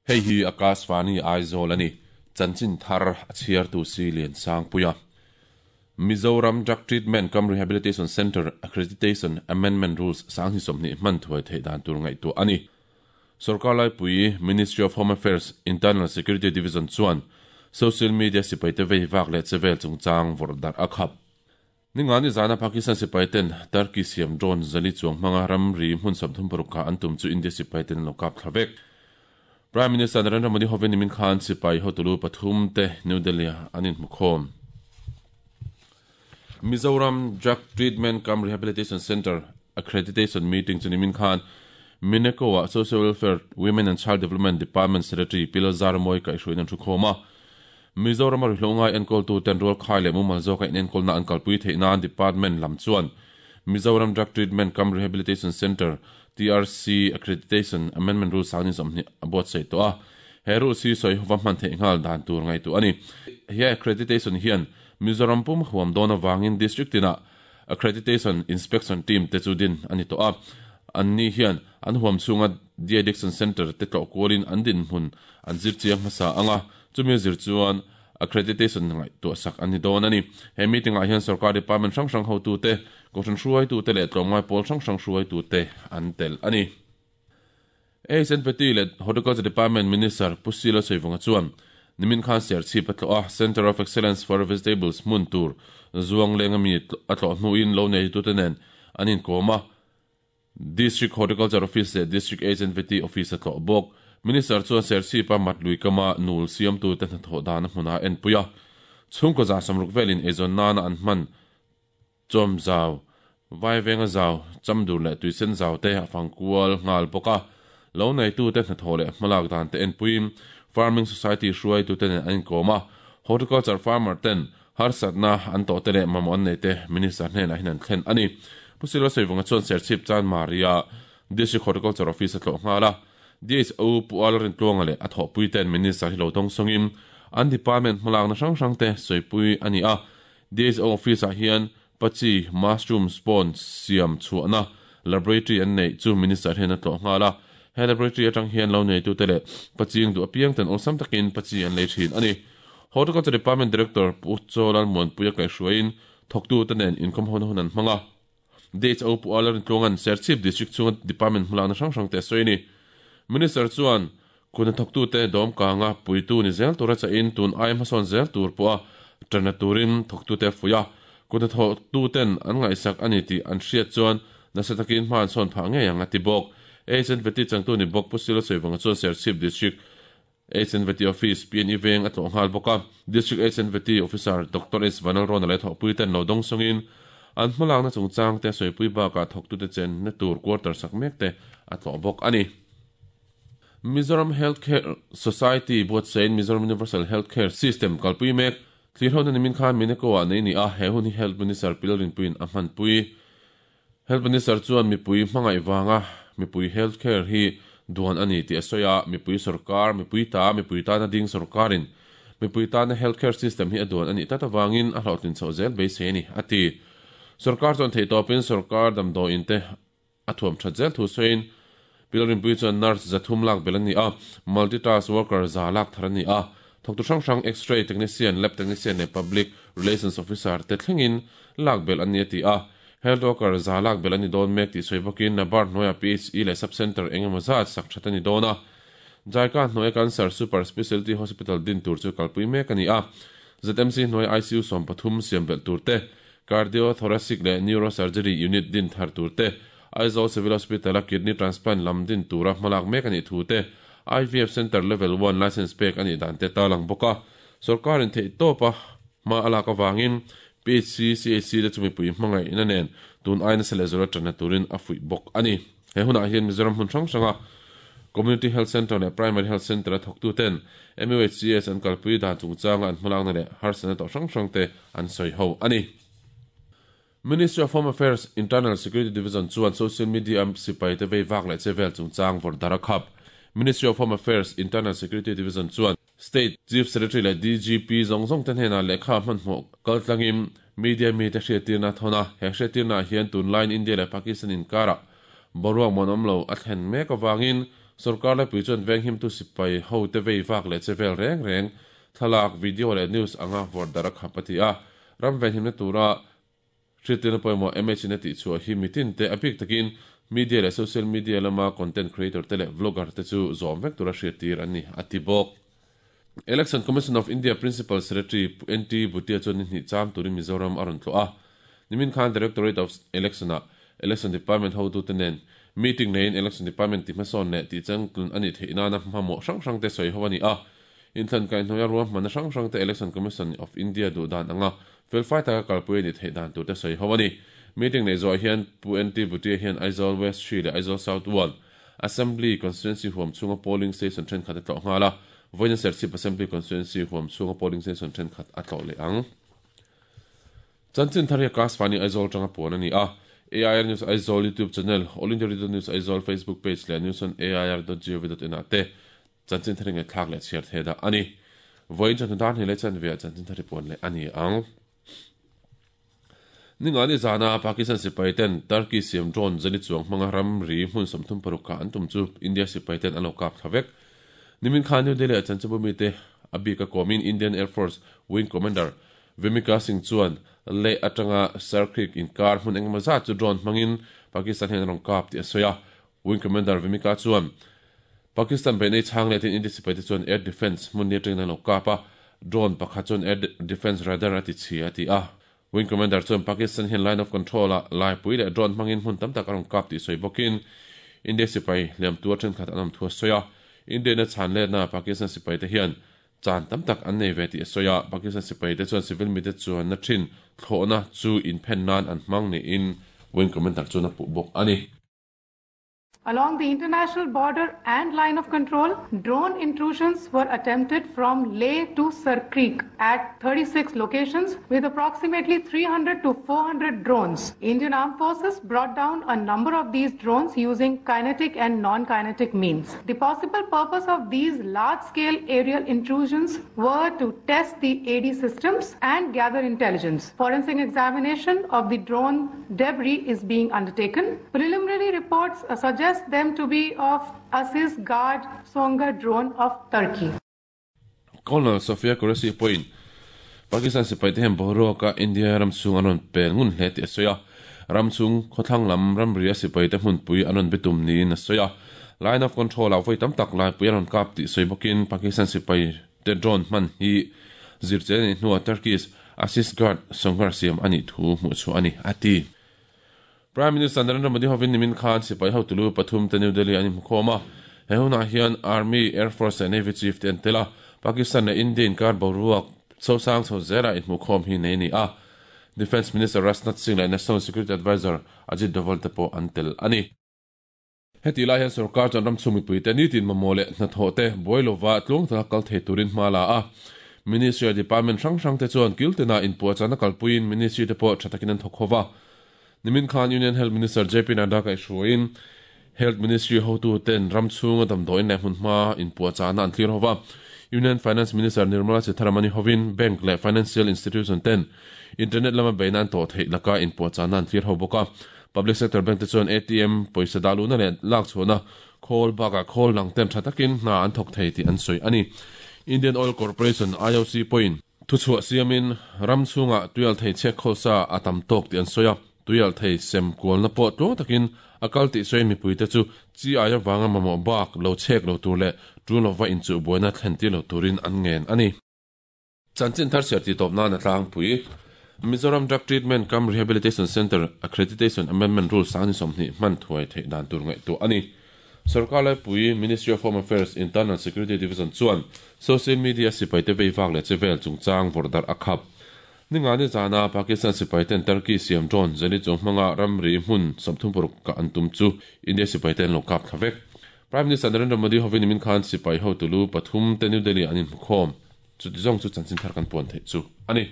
Hei hi Akashvani Aizawl a ni. Chanchin thar a chhiartu si Liansangpuia. Mizoram Drug Treatment cum Rehabilitation Centre Accreditation Amendment Rules 2020 hman thuai theih dan tur ngaihtuah a ni. Sorkar laipui Ministry of Home Affairs Internal Security Division chuan social media sipaite vei vak leh chevel chungchang vawrh darh a khap. Ningani zana Pakistan sipaiten Turkey siam drone 400 chuang hmanga ramri hmun 36 kha an tum chu India sipaiten an lo kap thla vek. Prime Minister Narendra Modi hovin nimin khan sipai hotulu pathum te New Delhi ah an inhmukhawm. Mizoram Drug Treatment cum Rehabilitation Centre Accreditation Meeting chu nimin khan Mineco ah Social Welfare, Women and Child Development Department Secretary Pi Lalzaramawi kaihhruaiin an thukhawm a. Mizoram a rihlo ngai enkawltu ten rual khai leh mumal zawka inenkawlna an kalpui theih nan Department lam chuan Mizoram Drug Treatment cum Rehabilitation Centre, TRC, Accreditation Amendment Rule 2020 a buatsaih tawh a. He rules hi sawi hova hman theih nghal dan tur ngaihtuah a ni. He accreditation hian Mizoram pum huam dawn avangin District tinah Accreditation Inspection Team te chu din a ni tawh a. Anni hian an huam chhunga De-addiction Centre te tlawh kualin an dinhmun an zir chiang hmasa ang a, chumi a zir chuan accreditation ngaihtuah sak an ni dawn a ni. He meeting ah hian sorkar department hrang hrang hotute, kohhran hruaitute leh tlawmngai pawl hrang hrang hruaitute an tel a ni. HNPT leh Horticulture Department Minister Pu Silo Saivunga chuan nimin khan Serchhip a tlawh a, Centre of Excellence for Vegetables hmun tur zuang lenga mi a tlawh hnuin lo neitute nen an inkawm a, District Horticulture Office leh District HNPT Office a tlawh bawk. Minister chuan Serchhip-a Matlui kama nul siamtute hnathawh dan a hmunah a enpui a, chhungkaw 60 velin eizawn nana an hman Chawm zau, Vaivenga zau, Chamdur leh Tuisen zau te a fang kual nghal bawk a. Lo neitute hnathawh leh hmalak dan te enpuiin Farming Society hruaitute nen an inkawm a, Horticulture farmer ten harsatna an tawh te leh mamawh an nei te Minister hnenah hian an thlen a ni. Pu Silva Sawivunga chuan Serchhip Chanmari-a District Horticulture Office a tlawh nghal a, DHO Pu Al Rintluanga leh a thawhpui ten Minister hi lo dawngsawngin an department hmalakna hrang hrang te sawipui a ni a, DHO office ah hian Pachi mushroom spawn siam chhuahna laboratory an neih chu Minister hian a tlawh nghal a. He laboratory atang hian lo neitute leh paching duh apiang ten awlsam takin pachi an lei thin a ni. Horticulture Department Director Pu Chaw Lalmuanpuia kaihhruaiin thawktute nen inkhawm hona hun an hmang a. DHO Pu Alar Intluanga'n Serchhip District chhunga Department hmalakna hrang hrangte a sawi a ni. Minister chuan Kut hnathawktute dawm kanga puitu ni zel tura chahin tun aia hmasawn zel tur pawha tanna turin thawktute a fuih a. Kut hnathawktuten an ngaihsak a ni tih an hriat chuan nasa takin hma an sawn phah ngei ang a ti bawk. HNVT changtu ni bawk Pu Silo Sawivawnga chuan Serchhip District HNVT Office, PNE Veng a tlawh nghal bawk a. District HNVT Officer Doctor S Vanlalrawna leh thawhpuiten lo dawng sawngin an hmalakna chungchangte a sawipui bakah thawktute chenna tur quarter sak mekte a tlawh bawk a ni. Mizoram Health Care Society buatsaiin Mizoram Universal Health Care System kalpui mek. Thlirhona nimin khan Mineko ah nei ni a, he hun hi Health Minister Pi Lalrinpuiin a hmanpui. Health Minister chuan mipui hmangaih vanga mipui health care hi duan a ni tih a sawi a, mipui sorkar, mipui ta, mipui tana ding sorkarin mipui tana health care system hi a duan a nih tlat avangin a hlawhtlin chhoh zel beisei a ni, a ti. Sorkar chuan theihtawpin sorkar damdawiin te A thuam that zel thu sawiin Pi Lalrinpuii chuan nurse 300 lak belh a ni a, multi-task worker 100 lak thar a ni a, thawktu hrang hrang X-ray technician, lab technician leh public relations officer te thlengin lak belh an ni a ti a. Health worker 100 lak belh a ni dawn mek tih sawi bawkin Nabard hnuaiah PHE leh sub-centre eng emaw zat sak that a ni dawn a. Jaika hnuaia Cancer Super Specialty Hospital din tur chu kalpui mek a ni a, ZMC hnuaia ICU 13 siam belh tur te, Cardiothoracic leh Neurosurgery Unit din thar tur te, Aizawl Civil Hospital-a Kidney Transplant lam din tura hmalak mek a nih thu te, IVF Centre Level One Licence pek a nih dan te tarlang bawk a. Sawrkarin theihtawpa hma a lak avangin PHC, CHC te chu mipui hmangaihna nen tun ai nasa leh zuala tanna turin a fuih bawk a ni. He hunah hian Mizoram hmun hrang hranga Community Health Centre leh Primary Health Centre-a thawktuten MUHCS an kalpui dan chungchanga an hmalakna leh harsatna tawh hrang hrangte an sawi ho a ni. Ministry of Home Affairs Internal Security Division chuan social media-a sipaite vei vak leh che vel chungchang vawrh dar a khap. Ministry of Home Affairs, Internal Security Division chuan State Chief Secretary leh DGP zawng zawng te hnenah lehkha hmanhmawh kaltlangin media mite hriattirna a thawn a. He hriattirnaah hian tunlaiin India leh Pakistan inkarah boruak muanawm lo a thlen mek avangin sorkar laipui chuan venghimtu sipai hote vei vak leh che vel reng reng thlalak, video leh news anga vawrh darh a khap a ti a. Ram venhimna tura Hriattirna pawimawh MH in a tihchhuah hi mitin te, a bik takin media leh social media lama content creator te leh vlogger te chu zawm vek tura hriattir an ni, a ti bawk. Election Commission of India Principal Secretary Pu NT Bhutia chuan ni hnih cham turin Mizoram a rawn tlawh a. Nimin khan Directorate of Election-ah Election Department hotute nen meeting neiin Election Department tihhmasawn leh tihchangtlun a nih theih nana hmahmawh hrang hrangte sawi ho a ni a. Inthlan kaihhnawih a ruahmanna hrang hrangte Election Commission of India duh dan anga felfai taka kalpui a nih theih dan turte sawi ho a ni. Meeting neih zawh hian Pu NT Bhutia hian Aizawl West Hri leh Aizawl South Ward Assembly Constituency huam chhunga polling station thenkhat a tlawh nghal a, vawiin Serchhip Assembly Constituency huam chhunga polling station thenkhat a tlawh leh ang. Chanchin thar hi Class Fani Aizawl atanga puan a ni a, AIR News Aizawl YouTube channel, All India Radio News Aizawl Facebook page leh news on air dot gov dot in ah te Chanchin thar ngaihthlak leh chhiar thei dah a ni. Vawiin chawhnu dar hnih leh chanve ah chanchin thar hi puan leh a ni ang. Ningani zana Pakistan sipai ten Turkey siam drone zali chuang hmanga ramri hmun 36 kah an tum chu India sipai ten an lo kap thla vek. Nimin khan New Delhi ah chanchinbu mite a bik a kawmin Indian Air Force Wing Commander Vimika Singh chuan Leh atanga Sir Creek inkar hmun engemaw zat chu drone hmangin Pakistan hian a rawn kap tih a sawi a. Wing Commander Vimika chuan Pakistan beihna i chhang letin India sipaite chuan air defence hmun ni atangin an lo kap a, drone pakhat chuan air defence radar a ti chhi a ti a. Wing Commander chuan Pakistan hian line of control ah laipui leh drone hmangin hmun tam tak a rawn kap tih sawi bawkin India sipai hliam tuar thenkhat an awm thu a sawi a. India-in a chhan letna Pakistan sipaite hian chan tam tak an nei ve tih a sawi a, Pakistan sipaite chuan civil mite chuanna thin thlawhna chu inphen nan an hmang niin Wing Commander chuan a puh bawk a ni. Along the international border and line of control, drone intrusions were attempted from Leh to Sir Creek at 36 locations with approximately 300 to 400 drones. Indian Armed Forces brought down a number of these drones using kinetic and non-kinetic means. The possible purpose of these large-scale aerial intrusions were to test the AD systems and gather intelligence. Forensic examination of the drone debris is being undertaken. Preliminary reports suggest them to be of Asisguard Songar drone of Turkey. Colonel Sophia Qureshi pawhin Pakistan sipaite hian boruaka India ram chhung an rawn pel ngun hle tih a sawi a, ram chhung khawthlang lam ramria sipaite hmunpui an rawn be tum niin a sawi a. Line of Control-ah vawi tam tak laipui an rawn kap tih sawi bawkin Pakistan sipaite drone hman hi zirchian a nih hnuah Turkish Asisguard Songar siam a nih thu hmuhchhuah a ni, a ti. Prime Minister Narendra Modi hovin nimin khan sipai hotulu pathum te New Delhi an inhmukhawm a, he hunah hian Army, Air Force leh Navy Chief te an tel a, Pakistan leh India inkar boruak chhosang chho zela inhmuhkhawm hi nei a ni a, Defence Minister Rajnath Singh leh National Security Adviser Ajit Doval te pawh an tel a ni. Hetih lai hian sorkar chuan ramchhung mipuite nitin mamawh leh hnathawh te buai lova tluang taka kal thei turin hma la a. Ministry leh department hrang hrang te chuan kiltina inpuahchahna kalpuiin ministry te pawh tha takin an thawk ho va. Nimin khan Union Health Minister JP Nadda kaihhruaiin Health Ministry hotuten ramchhunga damdawiin leh hmunhma inpuahchahna an thlir ho va. Union Finance Minister Nirmala Sitharaman-i hovin bank leh financial institution ten internet lama beihna an tawh theih laka inpuahchahna an thlir ho bawk a. Public sector bank te chuan ATM pawisa dah luhna leh lak chhuahna khawl bakah khawl dang ten tha takin hna an thawk thei tih an sawi a ni. Indian Oil Corporation, IOC, pawhin thuchhuah siamin ram chhungah tuialthei chhek khawlsa a tam tawk tih an sawi a, tuialthei sem kualna pawh tluang takin a kal tih sawiin mipuite chu chi ai avanga mamawh bak lo chhek lo tur leh tul lova inchuh buaina thlen tir lo turin an ngen a ni. Chanchin thar chhiar tih tawp nan a tlangpui. Mizoram Drug Treatment cum Rehabilitation Centre Accreditation Amendment Rule sangni 20 hman thuai theih dan tur ngaihtuah a ni. Sorkar laipui Ministry of Home Affairs Internal Security Division chuan social media sipaite vei vak leh che vel chungchang vawrh darh a khap. Ningani zana Pakistan sipaiten Turkey siam drone zali chung hmanga ramri hmun 36 kah an tum chu India sipaite an lo kap thla vek. Prime Minister Narendra Modi hovin nimin khan sipai hotu lu pathum te New Delhi an inhmukhawm. Chuti zawng chu chanchin thar kan puan theih chu a ni.